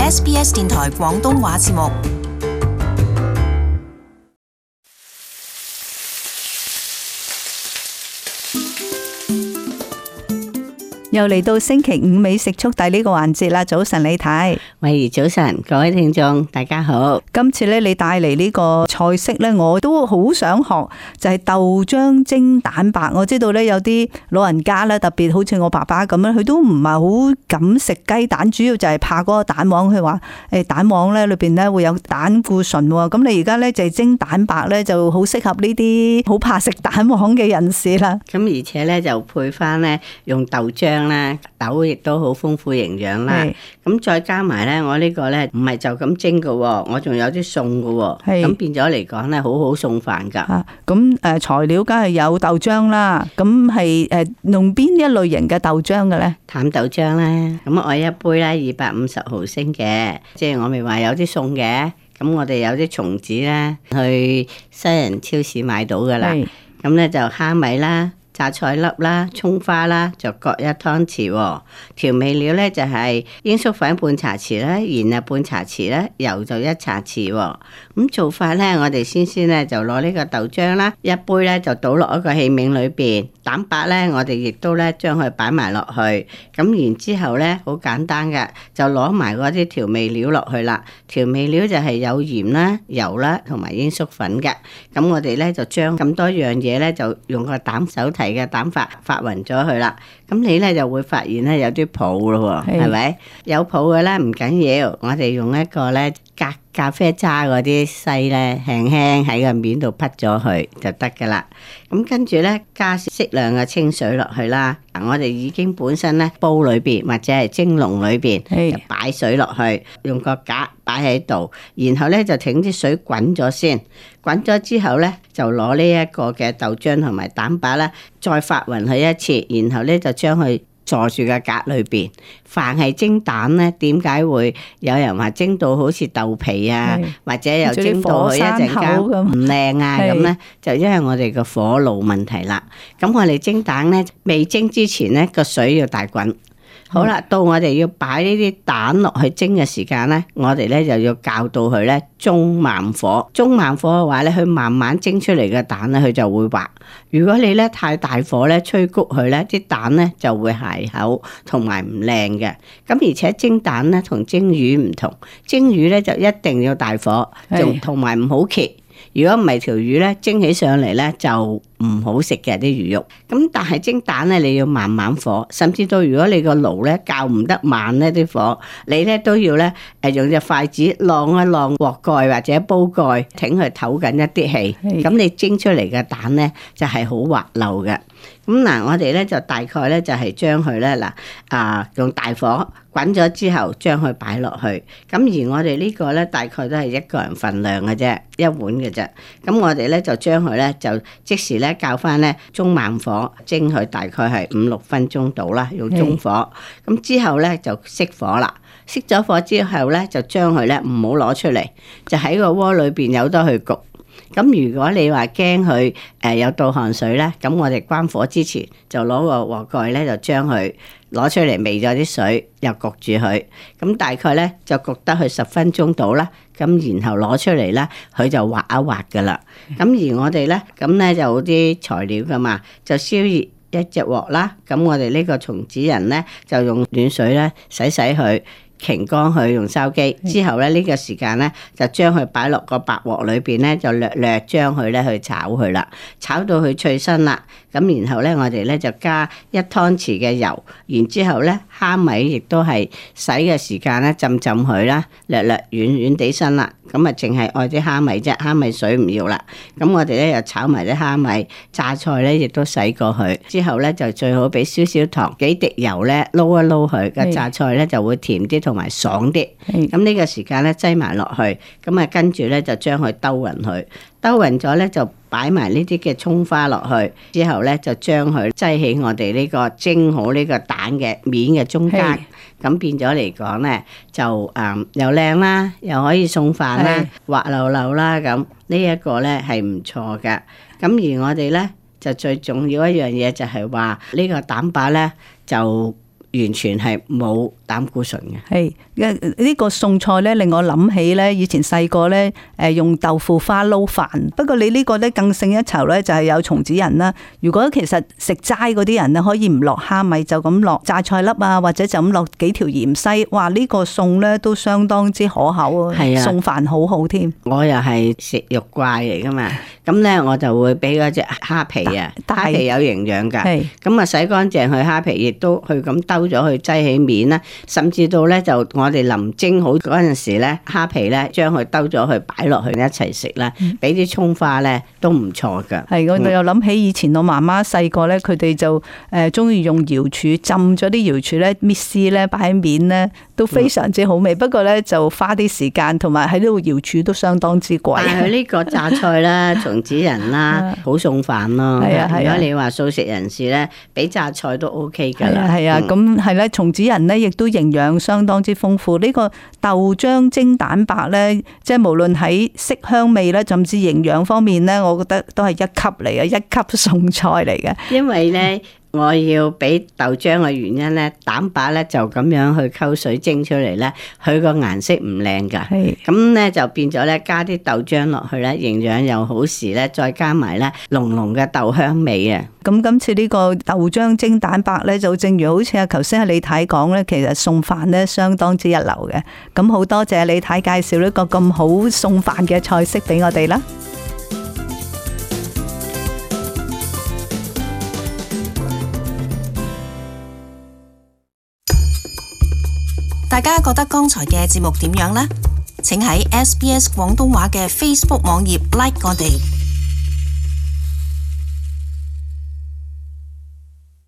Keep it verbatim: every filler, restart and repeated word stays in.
S B S 電台廣東話節目。又嚟到星期五美食速遞呢個環節啦！早晨李太，喂，早晨，各位聽眾大家好。今次咧你帶嚟呢個菜式咧，我都好想學，就係豆漿蒸蛋白。我知道咧有啲老人家咧，特別好似我爸爸咁樣，佢都唔係好敢食雞蛋，主要就係怕嗰個蛋黃。佢話誒蛋黃咧裏邊咧會有膽固醇喎。咁你而家咧就係蒸蛋白咧，就好適合呢啲好怕食蛋黃嘅人士啦。咁而且咧就配翻咧用豆漿。豆亦都好豐富營養啦，咁再加埋咧，我呢個咧唔係就咁蒸嘅，我仲有啲餸嘅，咁變咗嚟講咧，好好餸飯噶。咁誒材料梗係有豆漿啦，咁係誒用邊一類型嘅豆漿嘅咧？淡豆漿啦，咁我一杯咧二百五十毫升嘅，即係我咪話有啲餸嘅，咁我哋有啲松子咧，去西人超市買到噶啦，咁咧就蝦米啦。榨菜粒啦、蔥花啦，就各一湯匙喎。調味料咧就係鷹粟粉半茶匙啦，鹽啊半茶匙啦，油就一茶匙喎。咁做法咧，我哋先先咧就攞呢個豆漿啦，一杯咧就倒落一個器皿裏邊。蛋白咧，我哋亦都咧將佢擺埋落去。咁然之後咧，好簡單嘅，就攞埋嗰啲調味料落去啦。調味料就係有鹽啦、油啦同埋鷹粟粉嘅。咁我哋咧就將咁多樣嘢咧，就用個膽手提嘅蛋發發勻咗佢啦，咁你咧就會發現咧有啲泡咯喎，係咪？有泡嘅咧唔緊要，我哋用一個咧咖咖啡渣嗰啲篩咧，輕輕喺個面度潑咗佢就得噶啦。咁跟住咧加適量嘅清水落去啦。我哋已經本身咧煲裏邊或者係蒸籠裏邊就擺水落去，用個架擺喺度，然後咧就整啲水滾咗先，滾咗之後咧就攞呢一個嘅豆漿同埋蛋白咧再發勻佢一次，然後咧就將佢坐住個格裏邊。凡係蒸蛋咧，點解會有人話蒸到好似豆皮啊，或者又蒸到佢一陣間唔靚啊咁咧？就因為我哋個火爐問題啦。咁我哋蒸蛋咧，未蒸之前咧個水要大滾。好啦，到我哋要擺呢啲蛋落去蒸嘅時間咧，我哋咧就要校到佢咧中慢火。中慢火嘅話咧，佢慢慢蒸出嚟嘅蛋咧，佢就會滑。如果你咧太大火咧，吹谷佢咧，啲蛋咧就會鞋口同埋唔靚嘅。咁而且蒸蛋咧同蒸魚唔同，蒸魚咧就一定要大火，仲同埋唔好揭。如果唔係條魚咧蒸起上嚟咧就唔好食嘅啲魚肉，咁但係蒸蛋咧你要慢慢火，甚至到如果你個爐咧較唔得慢咧啲火，你咧都要咧誒用隻筷子晾一晾鑊蓋或者煲蓋，挺佢唞緊一啲氣，咁你蒸出嚟嘅蛋咧就係好滑溜嘅。咁嗱，我哋咧就大概咧就係將佢咧嗱啊用大火滾咗之後，將佢擺落去。咁而我哋呢個咧大概都係一個人份量嘅啫，一碗嘅啫。咁我哋咧就將佢咧就即時咧較翻咧中慢火蒸佢，大概係五六分鐘到啦，用中火。咁之後咧就熄火啦。熄咗火之後咧，就將佢咧唔好攞出嚟，就喺個鍋裏邊由得佢焗。咁如果你話驚佢誒有倒汗水咧，咁我哋關火之前就攞個鍋蓋咧，就將佢攞出嚟，微咗啲水，又焗住佢。咁大概咧就焗得佢十分鐘到啦。咁然後攞出嚟咧，佢就滑一滑噶啦。咁而我哋咧，咁咧就有啲材料噶嘛，就燒熱一隻鑊啦。咁我哋呢個松子仁咧，就用暖水咧洗洗佢。擎乾佢用筲箕之後咧，呢個時間咧就將佢擺落個白鑊裏邊咧，就略略將佢咧去炒佢啦，炒到佢脆身啦。咁然後咧，我哋咧就加一湯匙嘅油，然之後咧蝦米亦都係洗嘅時間咧浸浸佢啦，略略軟軟地身啦。咁啊，淨係愛啲蝦米啫，蝦米水唔要啦。咁我哋咧又炒埋啲蝦米，榨菜咧亦都洗過佢。之後咧就最好俾少少糖，幾滴油咧撈一撈佢，個榨菜咧就會甜啲同埋爽啲。咁呢個時間咧擠埋落去，咁啊跟住咧就將佢兜勻佢，兜勻咗咧就擺埋呢啲嘅蔥花落去，之後咧就將佢擠喺我哋呢個蒸好呢個蛋嘅面嘅中間。咁變咗嚟講咧，就誒、嗯、又靚啦，又可以送飯啦，滑溜溜啦，咁呢一個咧係唔錯㗎。咁而我哋咧就最重要一樣嘢就係話呢個蛋白咧就完全係冇膽固醇嘅。係，呢個餸菜咧令我諗起咧以前細個咧誒用豆腐花撈飯。不過你呢個咧更勝一籌咧，就係有松子仁啦。如果其實食齋嗰啲人咧，可以唔落蝦米，就咁落榨菜粒啊，或者就咁落幾條芫茜。哇！呢個餸咧都相當之可口啊，餸飯好好添。我又係食肉怪嚟噶嘛，咁咧我就會俾嗰隻蝦皮啊，蝦皮有營養噶，咁啊洗乾淨佢蝦皮，亦都去咁兜咗去擠起面啦，甚至到咧就我哋臨蒸好嗰陣時咧，蝦皮咧將佢兜咗去擺落去一齊食啦，俾啲蔥花咧都唔錯噶。係，我又諗起以前我媽媽細個咧，佢哋就誒中意用瑤柱浸咗啲瑤柱咧，搣絲咧擺喺面咧，都非常之好味。嗯、不過咧就花啲時間，同埋喺呢度瑤柱都相當之貴。但係佢呢個榨菜啦、松子仁啦，好餸飯咯。係啊係啊，如果你話素食人士咧，俾榨菜都 OK 㗎啦。係啊，咁係咧，松子仁咧亦都營養相當之豐富。呢、這個豆漿蒸蛋白咧，即係無論喺色香味咧，甚至營養方面咧，我覺得都係一級嚟嘅，一級餸菜嚟嘅。因為咧。我要俾豆漿嘅原因咧，蛋白咧就咁樣去溝水蒸出嚟咧，佢個顏色唔靚噶，咁咧就變咗咧加啲豆漿落去咧，營養又好時咧，再加埋咧濃濃嘅豆香味啊！咁今次呢個豆漿蒸蛋白咧，就正如好似阿頭先阿李太講咧，其實餸飯咧相當之一流嘅。咁好多謝李太介紹呢個咁好餸飯嘅菜式俾我哋啦。大家覺得剛才嘅節目點樣呢？請喺 S B S 廣東話嘅 Facebook 網頁 like 我哋。